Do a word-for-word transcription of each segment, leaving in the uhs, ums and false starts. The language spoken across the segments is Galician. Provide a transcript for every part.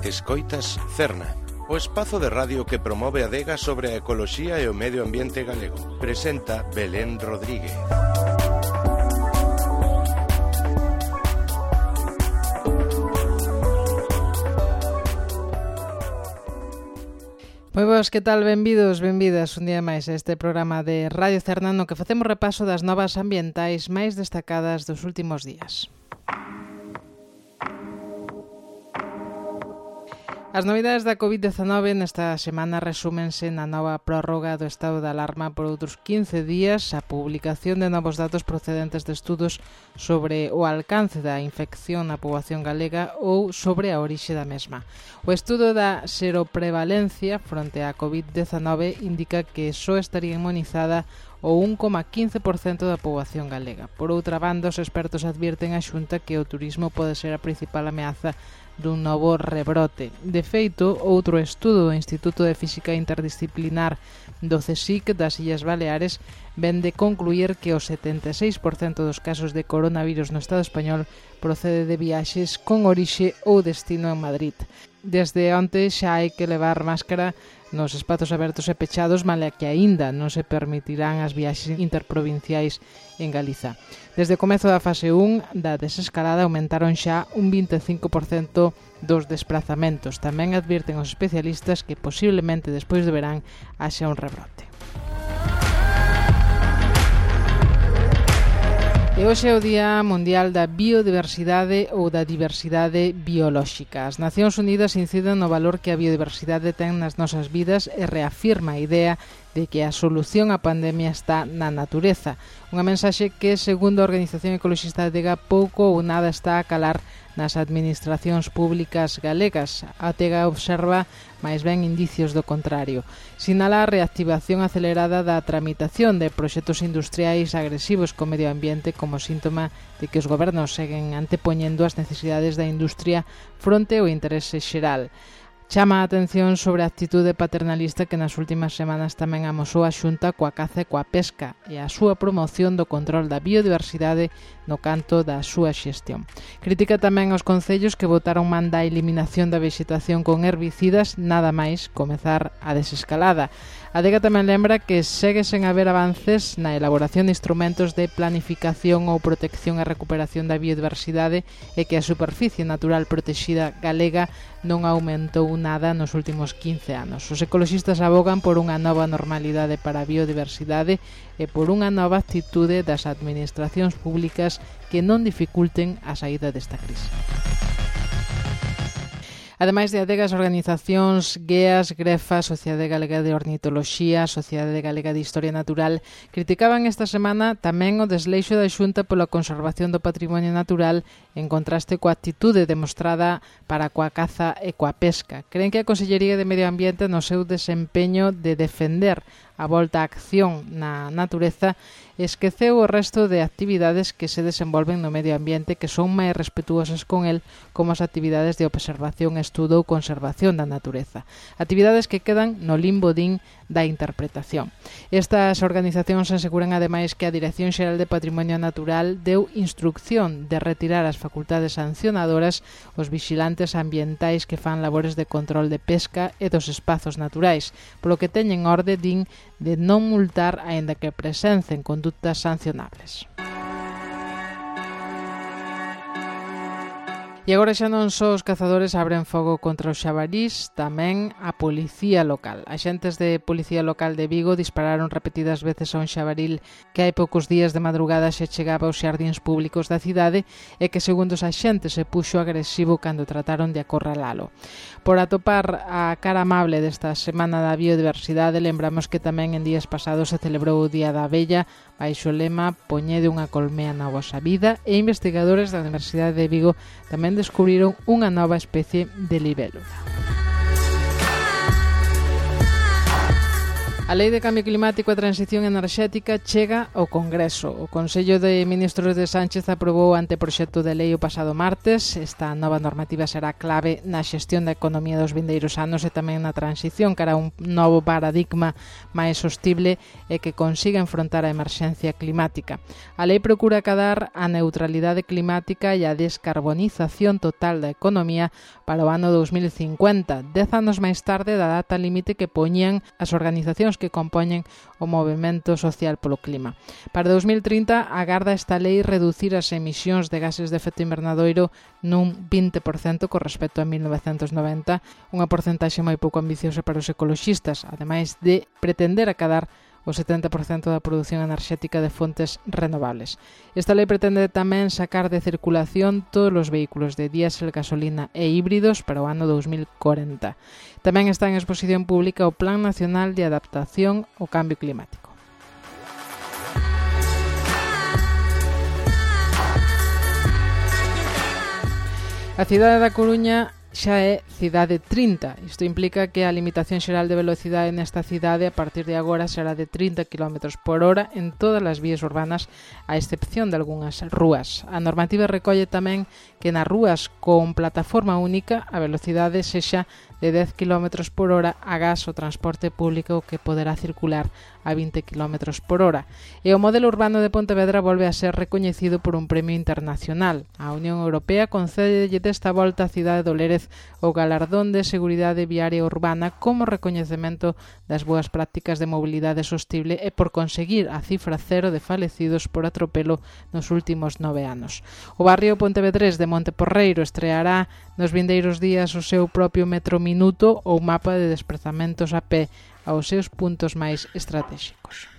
Escoitas Cerna, o espazo de radio que promove a adega sobre a ecoloxía e o medio ambiente galego. Presenta Belén Rodríguez. Moi boas, que tal? Benvidos, benvidas un día máis a este programa de Radio Cerna no que facemos repaso das novas ambientais máis destacadas dos últimos días. As novidades da covid dezanove nesta semana resúmense na nova prórroga do estado de alarma por outros quince días, a publicación de novos datos procedentes de estudos sobre o alcance da infección na poboación galega ou sobre a orixe da mesma. O estudo da seroprevalencia fronte á covid dezanove indica que só estaría inmunizada o un coma quince por cento da poboación galega. Por outra banda, os expertos advirten a Xunta que o turismo pode ser a principal ameaza dun novo rebrote. De feito, outro estudo do Instituto de Física Interdisciplinar do CSIC das Illas Baleares ven de concluir que o setenta e seis por cento dos casos de coronavirus no Estado español procede de viaxes con orixe ou destino en Madrid. Desde onte xa hai que levar máscara nos espazos abertos e pechados, male que aínda non se permitirán as viaxes interprovinciais en Galiza. Desde o comezo da fase un da desescalada aumentaron xa un vinte e cinco por cento dos desplazamentos. Tamén advirten os especialistas que posiblemente despois de verán haxa un rebrote. E hoxe é o Día Mundial da Biodiversidade ou da Diversidade Biolóxica. As Nacións Unidas inciden no valor que a biodiversidade ten nas nosas vidas e reafirma a idea de que a solución á pandemia está na natureza. Unha mensaxe que, segundo a Organización Ecologista Galega, pouco ou nada está a calar nas administracións públicas galegas. A Tega observa máis ben indicios do contrario. Sinala a reactivación acelerada da tramitación de proxectos industriais agresivos co medio ambiente como síntoma de que os gobernos seguen antepoñendo as necesidades da industria fronte ao interese xeral. Chama a atención sobre a actitude paternalista que nas últimas semanas tamén amosou a Xunta coa caza e coa pesca e a súa promoción do control da biodiversidade no canto da súa xestión. Critica tamén os concellos que votaron man da eliminación da vexetación con herbicidas nada máis comezar a desescalada. A Adega tamén lembra que segue sen haber avances na elaboración de instrumentos de planificación ou protección e recuperación da biodiversidade e que a superficie natural protexida galega non aumentou nada nos últimos quince anos. Os ecoloxistas abogan por unha nova normalidade para a biodiversidade e por unha nova actitude das administracións públicas que non dificulten a saída desta crise. Ademais de adegas, organizacións GEAS, GREFA, Sociedade Galega de Ornitoloxía, Sociedade Galega de Historia Natural, criticaban esta semana tamén o desleixo da Xunta pola conservación do patrimonio natural en contraste coa actitude demostrada para coa caza e coa pesca. Creen que a Consellería de Medio Ambiente no seu desempeño de defender a volta á acción na natureza esqueceu o resto de actividades que se desenvolven no medio ambiente que son máis respetuosas con el, como as actividades de observación, estudo ou conservación da natureza. Actividades que quedan no limbo din da interpretación. Estas organizacións aseguran ademais que a Dirección Xeral de Patrimonio Natural deu instrucción de retirar as facultades sancionadoras os vixilantes ambientais que fan labores de control de pesca e dos espazos naturais, polo que teñen orde, din, de non multar aínda que presencen conductas sancionables. E agora xa non só os cazadores abren fogo contra os xabarís, tamén a policía local. Axentes de policía local de Vigo dispararon repetidas veces a un xabaril que hai poucos días de madrugada xa chegaba aos xardíns públicos da cidade e que, segundo os axentes, se puxo agresivo cando trataron de acorralalo. Por atopar a cara amable desta Semana da Biodiversidade, lembramos que tamén en días pasados se celebrou o Día da Abella, baixo o lema Poñede unha colmea na vosa vida, e investigadores da Universidade de Vigo tamén descubriron unha nova especie de libélula. A Lei de Cambio Climático e Transición Enerxética chega ao Congreso. O Consello de Ministros de Sánchez aprobou o anteproxecto de lei o pasado martes. Esta nova normativa será clave na xestión da economía dos vindeiros anos e tamén na transición cara a un novo paradigma máis sostible e que consiga enfrontar a emerxencia climática. A lei procura acadar a neutralidade climática e a descarbonización total da economía para o ano dos mil cincuenta, dez anos máis tarde da data límite que poñían as organizacións que compoñen o movemento social polo clima. Para dos mil trinta, agarda esta lei reducir as emisións de gases de efecto invernadoiro nun vinte por cento con respecto a mil novecentos noventa, unha porcentaxe moi pouco ambiciosa para os ecoloxistas, ademais de pretender acadar o setenta por cento da produción enerxética de fontes renovables. Esta lei pretende tamén sacar de circulación todos os vehículos de diésel, gasolina e híbridos para o ano dos mil corenta. Tamén está en exposición pública o Plan Nacional de Adaptación ao Cambio Climático. A cidade da Coruña xa é cidade trinta. Isto implica que a limitación xeral de velocidade nesta cidade a partir de agora será de trinta quilómetros por hora en todas as vías urbanas, a excepción de algunhas rúas. A normativa recolle tamén que nas rúas con plataforma única a velocidade sexa de dez quilómetros por hora agás o transporte público que poderá circular a vinte quilómetros por hora. E o modelo urbano de Pontevedra volve a ser recoñecido por un premio internacional. A Unión Europea concédelle desta volta a cidade do Lérez o galardón de seguridade viaria urbana como recoñecemento das boas prácticas de mobilidade sostible e por conseguir a cifra cero de falecidos por atropelo nos últimos nove anos. O barrio pontevedrés de Monteporreiro estreará nos vindeiros días o seu propio metro minuto ou mapa de desprazamentos a pé aos seus puntos máis estratégicos.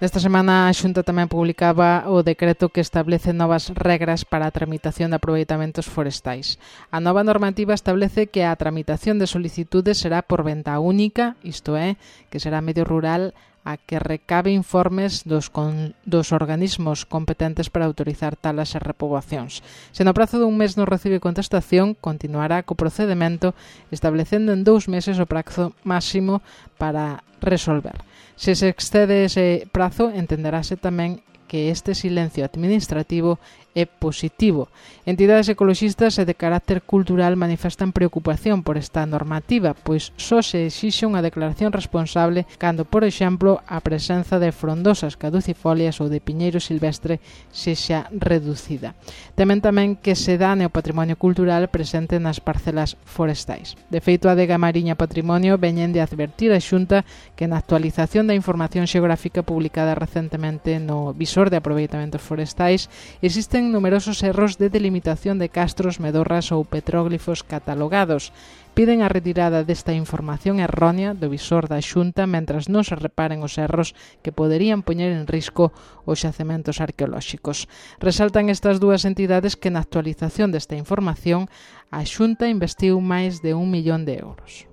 Esta semana a Xunta tamén publicaba o decreto que establece novas regras para a tramitación de aproveitamentos forestais. A nova normativa establece que a tramitación de solicitudes será por venta única, isto é, que será medio rural a que recabe informes dos, con, dos organismos competentes para autorizar talas e repoboacións. Se no prazo dun mes non recibe contestación, continuará co procedimento establecendo en dous meses o prazo máximo para resolver. Se se excede ese prazo, entenderase tamén que este silencio administrativo é positivo. Entidades ecoloxistas e de carácter cultural manifestan preocupación por esta normativa, pois só se exixe unha declaración responsable cando, por exemplo, a presenza de frondosas caducifolias ou de piñeiro silvestre sexa reducida. Temen tamén que se dane o patrimonio cultural presente nas parcelas forestais. De feito, a Adega Mariña Patrimonio veñen de advertir a Xunta que na actualización da información xeográfica publicada recentemente no Visor de Aproveitamentos Forestais existen numerosos erros de delimitación de castros, medorras ou petróglifos catalogados. Piden a retirada desta información errónea do visor da Xunta mentras non se reparen os erros que poderían poñer en risco os xacementos arqueolóxicos. Resaltan estas dúas entidades que na actualización desta información a Xunta investiu máis de un millón de euros.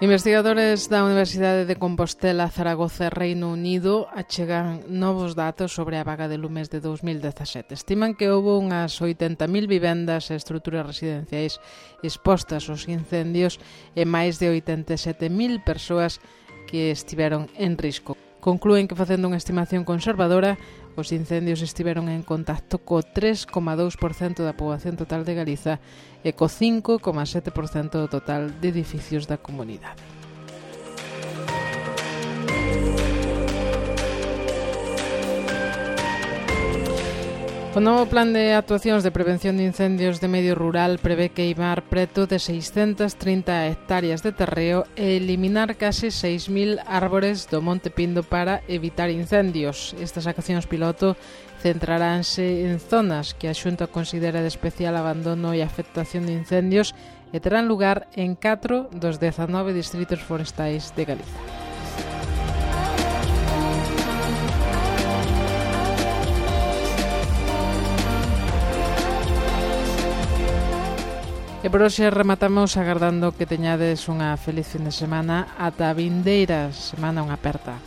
Investigadores da Universidade de Compostela, Zaragoza e Reino Unido achegan novos datos sobre a vaga de lumes de dos mil dezasete. Estiman que houve unhas oitenta mil vivendas e estruturas residenciais expostas aos incendios e máis de oitenta e sete mil persoas que estiveron en risco. Conclúen que, facendo unha estimación conservadora, os incendios estiveron en contacto co tres coma dous por cento da poboación total de Galiza e co cinco coma sete por cento do total de edificios da comunidade. O novo plan de actuacións de prevención de incendios de medio rural prevé queimar preto de seiscentas trinta hectáreas de terreo e eliminar case seis mil árbores do Monte Pindo para evitar incendios. Estas accións piloto centraránse en zonas que a Xunta considera de especial abandono e afectación de incendios e terán lugar en catro dos dezanove distritos forestais de Galiza. E por hoxe rematamos agardando que teñades unha feliz fin de semana ata a vindeira semana, unha aperta.